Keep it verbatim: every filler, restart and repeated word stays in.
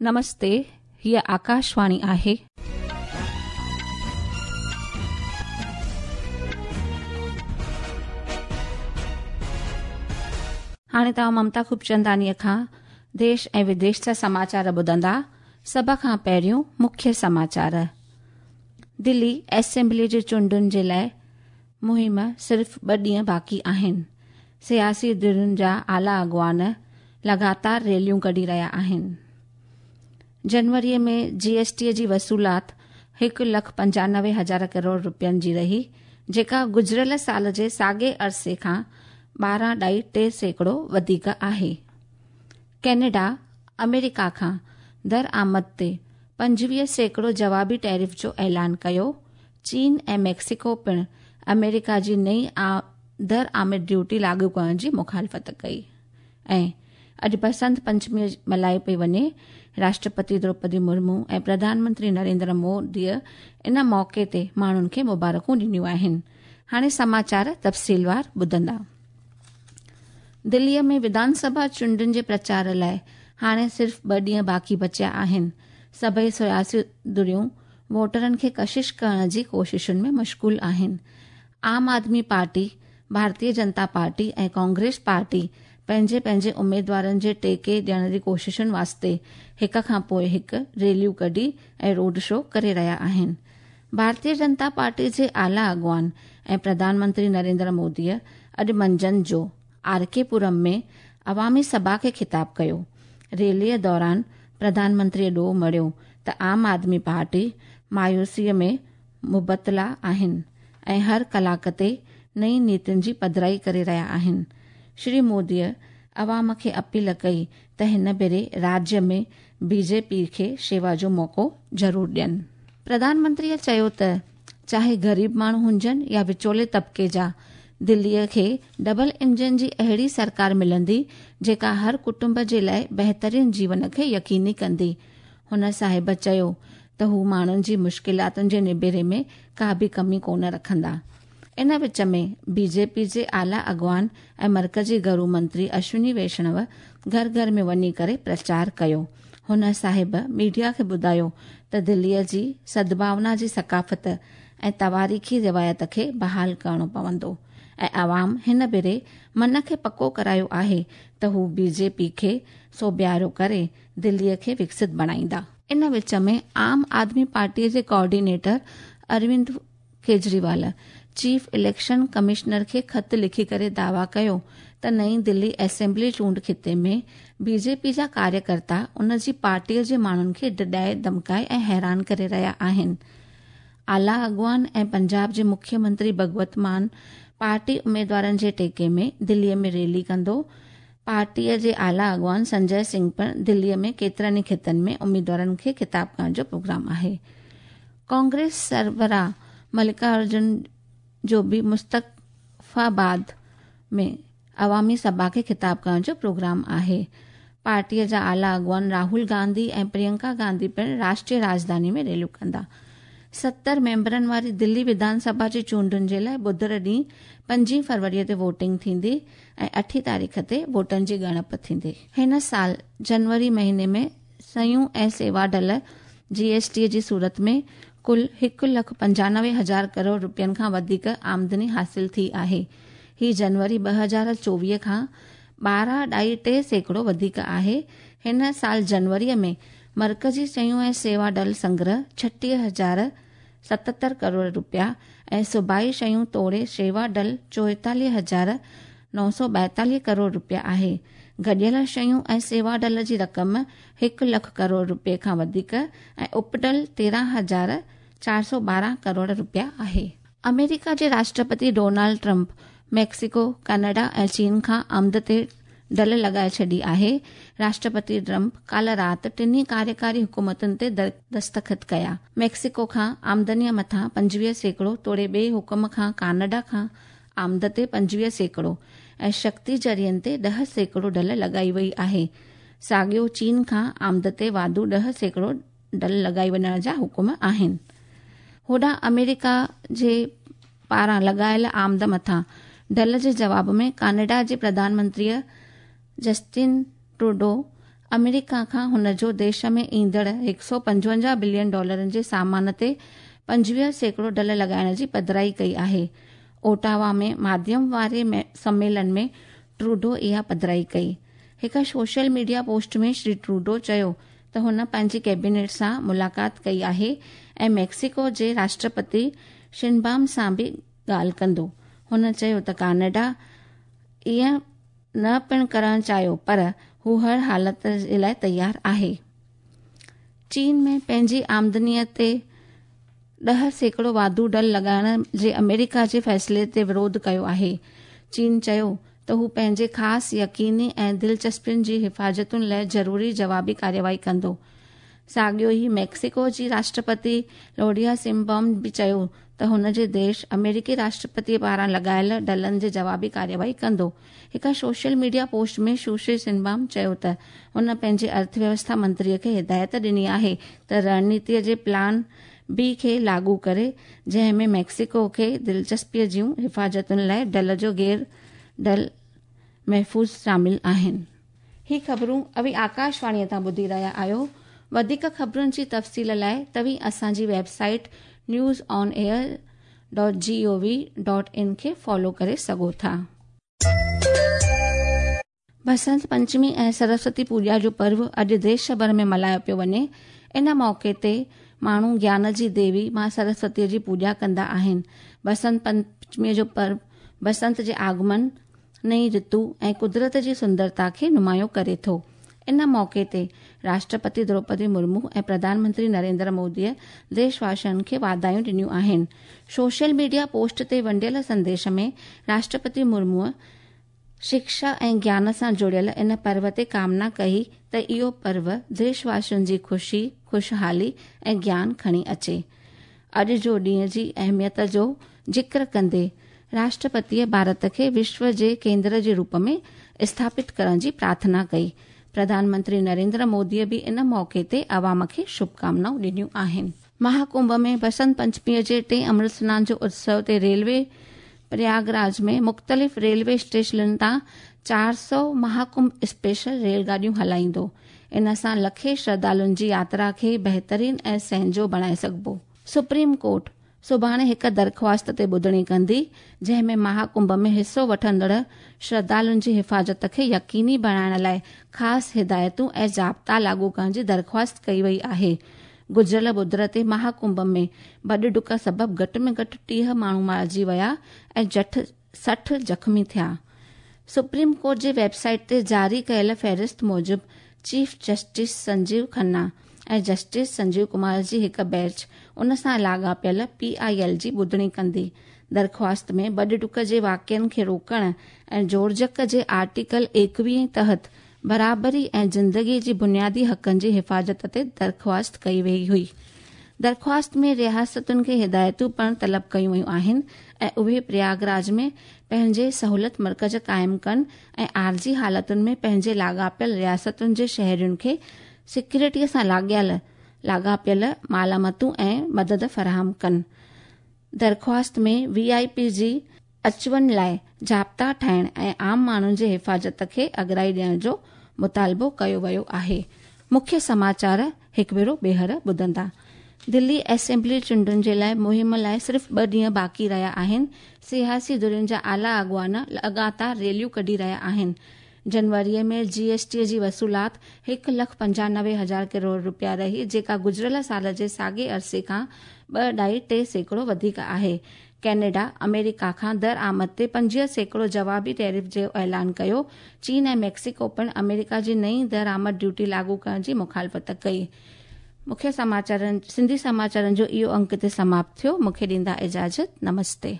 नमस्ते, हीअ आकाशवाणी आहे। हाणे तव्हां ममता खूबचंदानीअ खां देश ऐं विदेश जा समाचार ॿुधंदा। सभ खां पहिरियों मुख्य समाचार। दिल्ली असेंबली जे चूंडुनि जे लाइ मुहिम सिर्फ़ ॿ ॾींहं बाक़ी आहिनि। सियासी धिरुनि जा आला अॻुवान लगातार रैलियूं कढी रहिया आहिनि। जनवरीअ में जीएसटी जी वसूलात हिकु लख पंजानवे हज़ार करोड़ रुपयनि जी रही, जेका गुज़िरियल साल जे साॻे अरसे खां ॿारहं ॾाई टे सैकड़ो वधीक आहे। कैनेडा अमेरिका खां दरआमद ते पंजवीह सैकड़ो जवाबी टैरिफ जो ऐलान कयो। चीन ऐं मैक्सिको पिणु अमेरिका जी नई दरआमद ड्यूटी लागू करण जी मुखालफ़त कई। ऐं अॼु बसंत पंचमी मल्हाई पई वञे। राष्ट्रपति द्रौपदी मुर्मू ऐं प्रधानमंत्री नरेंद्र मोदीअ इन मौक़े ते माण्हुनि खे मुबारकूं ॾिनियूं आहिनि। हाणे समाचार तफ़सीलवार ॿुधंदा। दिल्लीअ में विधानसभा चूंडुनि जे प्रचार लाइ हाणे सिर्फ़ ॿ ॾींहं बाक़ी बचिया आहिनि। सभई सियासी धिरियूं वोटरनि खे कशिश करण जी कोशिशुनि में मशगूल आहिनि। आम आदमी पार्टी, भारतीय जनता पार्टी ऐं कांग्रेस पार्टी पंहिंजे पंहिंजे उमेदवारनि जे टेके ॾियण जी कोशिशुनि वास्ते हिक खां पोइ हिकु रैलियूं कढी ऐं रोड शो करे रहिया आहिनि। भारतीय जनता पार्टी जे आला अॻुवान ऐं प्रधानमंत्री नरेंद्र मोदीअ अॼु मंझंदि जो are के पुरम में अवामी सभा खे ख़िताब कयो। रैलीअ दौरान प्रधानमंत्रीअ ॾोह मढ़ियो त आम आदमी पार्टी मायूसीअ में मुबतला आहिनि ऐं हर कलाक ते नई नीतियुनि जी पधराई करे रहिया आहिनि। श्री मोदीअ अवाम खे अपील कई त हिन भेरे राज्य में बीजेपी खे शेवा जो मौक़ो ज़रूरु ॾियनि। प्रधानमंत्रीअ चयो त चाहे ग़रीब माण्हू हुजनि या विचोले तबिके जा, दिल्लीअ खे डबल इंजन जी अहिड़ी सरकार मिलंदी जेका हर कुटुंब जे लाइ बहितरीन जीवन खे यकीनी कंदी। हुन साहिब चयो त हू माण्हुनि जी मुश्किलातुनि जे निबेरे में का बि कमी कोन रखंदा। इन विच में बीजेपी जे आला अॻुवान ऐं मर्कज़ी घरू मंत्री अश्विनी वैष्णव घर घर में वञी करे प्रचार कयो। हुन साहिब मीडिया खे ॿुधायो त दिल्लीअ जी सद्भावना जी सकाफ़त ऐं तवारीख़ी रिवायत खे बहाल करणो पवंदो ऐं अवाम हिन भेरे मन खे पको करायो आहे त हू बीजेपी खे सोबियारो करे दिल्लीअ खे विकसित बणाईंदा। इन विच में आम आदमी पार्टीअ जे coordinator Arvind Kejriwal chief election commissioner खे ख़त लिखी करे दावा कयो त नई दिल्ली असेंबली चूंड ख़िते में बीजेपी जा कार्यकर्ता उन जी पार्टीअ जे माण्हुनि खे डिॾाए, धमकाए ऐं हैरान करे रहिया आहिनि। आला अॻुवान ऐं पंजाब जे मुख्यमंत्री भगवंत मान पार्टी उमेदवारनि जे टेके में दिल्लीअ में रैली कंदो। पार्टीअ जे आला अॻुवान संजय सिंह पिणु दिल्लीअ में केतिरनि ई ख़ितनि में उमेदवारनि खे ख़िताब करण जो प्रोग्राम आहे। कांग्रेस सरबराह मल्लिकार्जुन जो बि मुस्तफ़ाबाद में अवामी सभा खे ख़िताब करण जो प्रोग्राम आहे। पार्टीअ जा आला अॻुवान राहुल गांधी ऐं प्रियंका गांधी पिणु राष्ट्रीय राजधानी में रैलियूं कंदा। सत्तर मेंबरनि वारी दिल्ली विधानसभा जी चूंडुनि जे लाइ ॿुधर ॾींहुं पंजीह फरवरीअ ते वोटिंग थींदी ऐं अठी तारीख़ ते वोटनि जी ॻणप थींदी। हिन साल जनवरी महीने में शयूं ऐं सेवा ढल जीएसटी जी सूरत में कुल हिकु लख पंजानवे हज़ार करोड़ रुपयनि खां वधीक आमदनी हासिल थी आहे। हीअ जनवरी ॿ हज़ार चोवीह खां ॿारहं ॾाई टे सैकड़ो वधीक आहे। हिन साल जनवरीअ में मर्कज़ी शयूं ऐं सेवा ढल संग्रह छटीह हज़ार सतहतरि करोड़ रुपया ऐं सूबाई शयूं तोड़े शेवा ढल चोएतालीह हज़ार नौ सौ ॿाएतालीह करोड़ रुपया आहे। गॾियल शयूं ऐं सेवा ढल जी रक़म हिकु लख करोड़ रुपये खां वधीक ऐं उपढल तेरहं हज़ार चार सौ ॿारहं करोड़ रुपया आहे। अमेरिका जे राष्ट्रपति डोनाल्ड ट्रंप मैक्सिको, कनाडा ऐं चीन खां आमद ते ढल लॻाए छॾी आहे। राष्ट्रपति ट्रंप काल्ह राति टिन्ही कार्यकारी हुकूमतुनि ते दस्तख़त कया। मैक्सिको खां आमदनीअ मथां पंजवीह सैकड़ो तोड़े ॿिए हुकुम खां कनाडा खां आमद ते पंजवीह सैकड़ो ऐं शक्ति ज़रियनि ते ॾह सैकड़ो ढल लॻाई वई आहे। साॻियो चीन खां आमद ते वाधू ॾह सैकड़ो ढल लॻाई वञण जा हुकुम आहिनि। होॾां अमेरिका जे पारां लॻायल आमद मथां ढल जे जवाब में कनाडा जे प्रधानमंत्रीअ जस्टिन ट्रूडो अमेरिका खां हुन जो देश में ईंदड़ हिकु सौ पंजवंजाह बिलियन डॉलरनि जे सामान ते पंजवीह सैकड़ो डल लॻाइण जी पधराई कई आहे। ओटावा में माध्यम वारे सम्मेलन में ट्रूडो इहा पधराई कई। हिकु social media post में श्री ट्रूडो चयो त हुन पंहिंजी कैबिनेट सां मुलाक़ात कई आहे ऐं मैक्सिको जे राष्ट्रपति शिनबाम सां बि ॻाल्हि कंदो। हुन चयो त कनाडा ईअं न पिणु करणु चाहियो, पर हू हर हालत जे लाइ तयारु आहे। चीन में पंहिंजी आमदनीअ ते ॾह सैकड़ो वाधू डल लॻाइण जे अमेरिका जे फ़ैसिले ते विरोध कयो आहे। चीन चयो त हू पंहिंजे ख़ासि यकीनी ऐं दिलचस्पियुनि जी हिफ़ाज़तुनि लाइ ज़रूरी जवाबी कार्यवाही कंदो। साॻियो ई मैक्सिको जी राष्ट्रपति लोडिया सिम्बॉम बि चयो त हुन जे देश अमेरिकी राष्ट्रपति पारां लॻायल डलनि जे जवाबी कार्यवाही कंदो। हिकु सोशल मीडिया पोस्ट में सुश्री सिम्बॉम चयो त हुन पंहिंजे अर्थव्यवस्था मंत्रीअ खे हिदायत ॾिनी आहे त रणनीतीअ जे प्लान बी खे लागू करे, जंहिं में मैक्सिको खे दिलचस्पीअ जूं हिफ़ाज़तुनि लाइ डल जो गैर डल महफ़ूज़ शामिल आहिनि। ही ख़बरूं अवी आकाशवाणीअ तां ॿुधी रहिया आहियो। वधीक ख़बरुनि जी तफ़सील लाइ तव्हीं असांजी website news on air dot G O V dot in खे फॉलो करे सघो था। बसंत पंचमी ऐं सरस्वती पूॼा जो पर्व अॼु देश भर में मल्हायो पियो वञे। इन मौक़े ते माण्हू ज्ञान जी देवी मां सरस्वतीअ जी पूॼा कंदा आहिनि। बसंत पंचमीअ जो पर्व बसंत जे आगमन, नई ऋतु ऐं कुदरत जी सुंदरता खे नुमायो करे थो। इन मौक़े ते राष्ट्रपति द्रौपदी मुर्मू ऐं प्रधानमंत्री नरेंद्र मोदीअ देशवासियुनि खे वाधायूं ॾिनियूं आहिनि। सोशल मीडिया पोस्ट ते वंडियल संदेश में राष्ट्रपति मुर्मूअ शिक्षा ऐं ज्ञान सां जुड़ियल इन पर्व ते कामना कई त इहो पर्व देशवासियुनि जी ख़ुशी, ख़ुशहाली ऐं ज्ञान खणी अचे। अॼु जो ॾींहं जी अहमियत जो ज़िक्र कंदे राष्ट्रपतीअ भारत खे विश्व जे केंद्र जे रूप में स्थापित करण जी प्रार्थना कई। प्रधानमंत्री नरेंद्र मोदीअ बि इन मौक़े ते अवाम खे शुभकामनाऊं ॾिनियूं आहिनि। महाकुंभ में बसंत पंचमीअ जे टे अमृत स्नान जो उत्सव ते रेलवे प्रयागराज में मुख़्तलिफ़ रेलवे स्टेशननि तां चारि सौ महाकुंभ स्पेशल रेलगाॾियूं हलाईंदो। इन सां लखे श्रद्धालुनि जी यात्रा खे बहितरीन ऐं सहंजो बणाए सघिबो। सुप्रीम कोर्ट सुभाणे हिकु दरख़्वास्त ते ॿुधणी कंदी, जंहिं में महाकुंभ में हिसो वठंदड़ श्रद्धालुनि जी हिफ़ाज़त खे यकीनी बणाइण लाइ ख़ासि हिदायतूं ऐं ज़ाब्ता लागू करण जी दरख़्वास्त कई वई आहे। गुज़िरियल ॿुधर ते महाकुंभ में भॼ डुक सबबु घटि में घटि टीह माण्हू मारिजी विया ऐं जठ सठि ज़ख़्मी थिया। सुप्रीम कोर्ट जे वेबसाइट ते जारी कयल फ़हरिस्त मूजिबि चीफ जस्टिस संजीव खन्ना ऐं जस्टिस संजीव कुमार जी हिकु बेंच उन सां लाॻापियल पी I L जी ॿुधणी कंदी। दरख़्वास्त में भॼ डुक जे वाक़िअनि खे रोकण ऐं जोड़जक जे आर्टिकल एकवीह तहत बराबरी ऐं ज़िंदगीअ जी बुनियादी हक़नि जी हिफ़ाज़त ते दरख़्वास्त कई वई हुई। दरख़्वास्त में रियासतुनि खे हिदायतूं पिणु तलब कयूं वयूं आहिनि ऐं उहे प्रयागराज में पंहिंजे सहूलियत मर्कज़ क़ाइमु कनि ऐं आर्ज़ी हालतुनि में पंहिंजे लाॻापियल रियासतुनि जे शहरियुनि खे सिक्योरिटीअ सां लाॻियल लाॻापियल मालामतूं ऐं मदद फराहम कनि। दरख़्वास्त में वी I P जी अचु वञ लाइ ज़ाब्ता ठाहिण ऐं आम माण्हुनि जी हिफ़ाज़त खे अगराई ॾियण जो मुतालिबो कयो वियो आहे। मुख्य समाचार हिकु भेरो ॿीहर ॿुधंदा। दिल्ली असेंबली चूंडुनि जे लाइ मुहिम लाइ सिर्फ़ ॿ ॾींहं बाक़ी रहिया आहिनि। सियासी धुरियुनि जा आला अॻुवान लगातार रैलियूं कढी रहिया आहिनि। जनवरीअ में जी एस टी जी वसूलात हिकु लख पंजानवे हज़ार करोड़ रुपया रही, जेका गुज़िरियल साल जे साॻे अरसे खां ॿ ढाई टे सैकड़ो वधीक आहे। कैनेडा अमेरिका खां दरआमद ते पंजवीह सैकड़ो जवाबी टैरिफ जो ऐलान कयो। चीन ऐं मैक्सिको पिणु अमेरिका जी नई दरआमद ड्यूटी लागू करण जी मुखालफ़त कई। मुख्य समाचारनि सिंधी समाचारनि जो इहो अंक हिते समाप्त थियो। मूंखे ॾींदा इजाज़त। नमस्ते।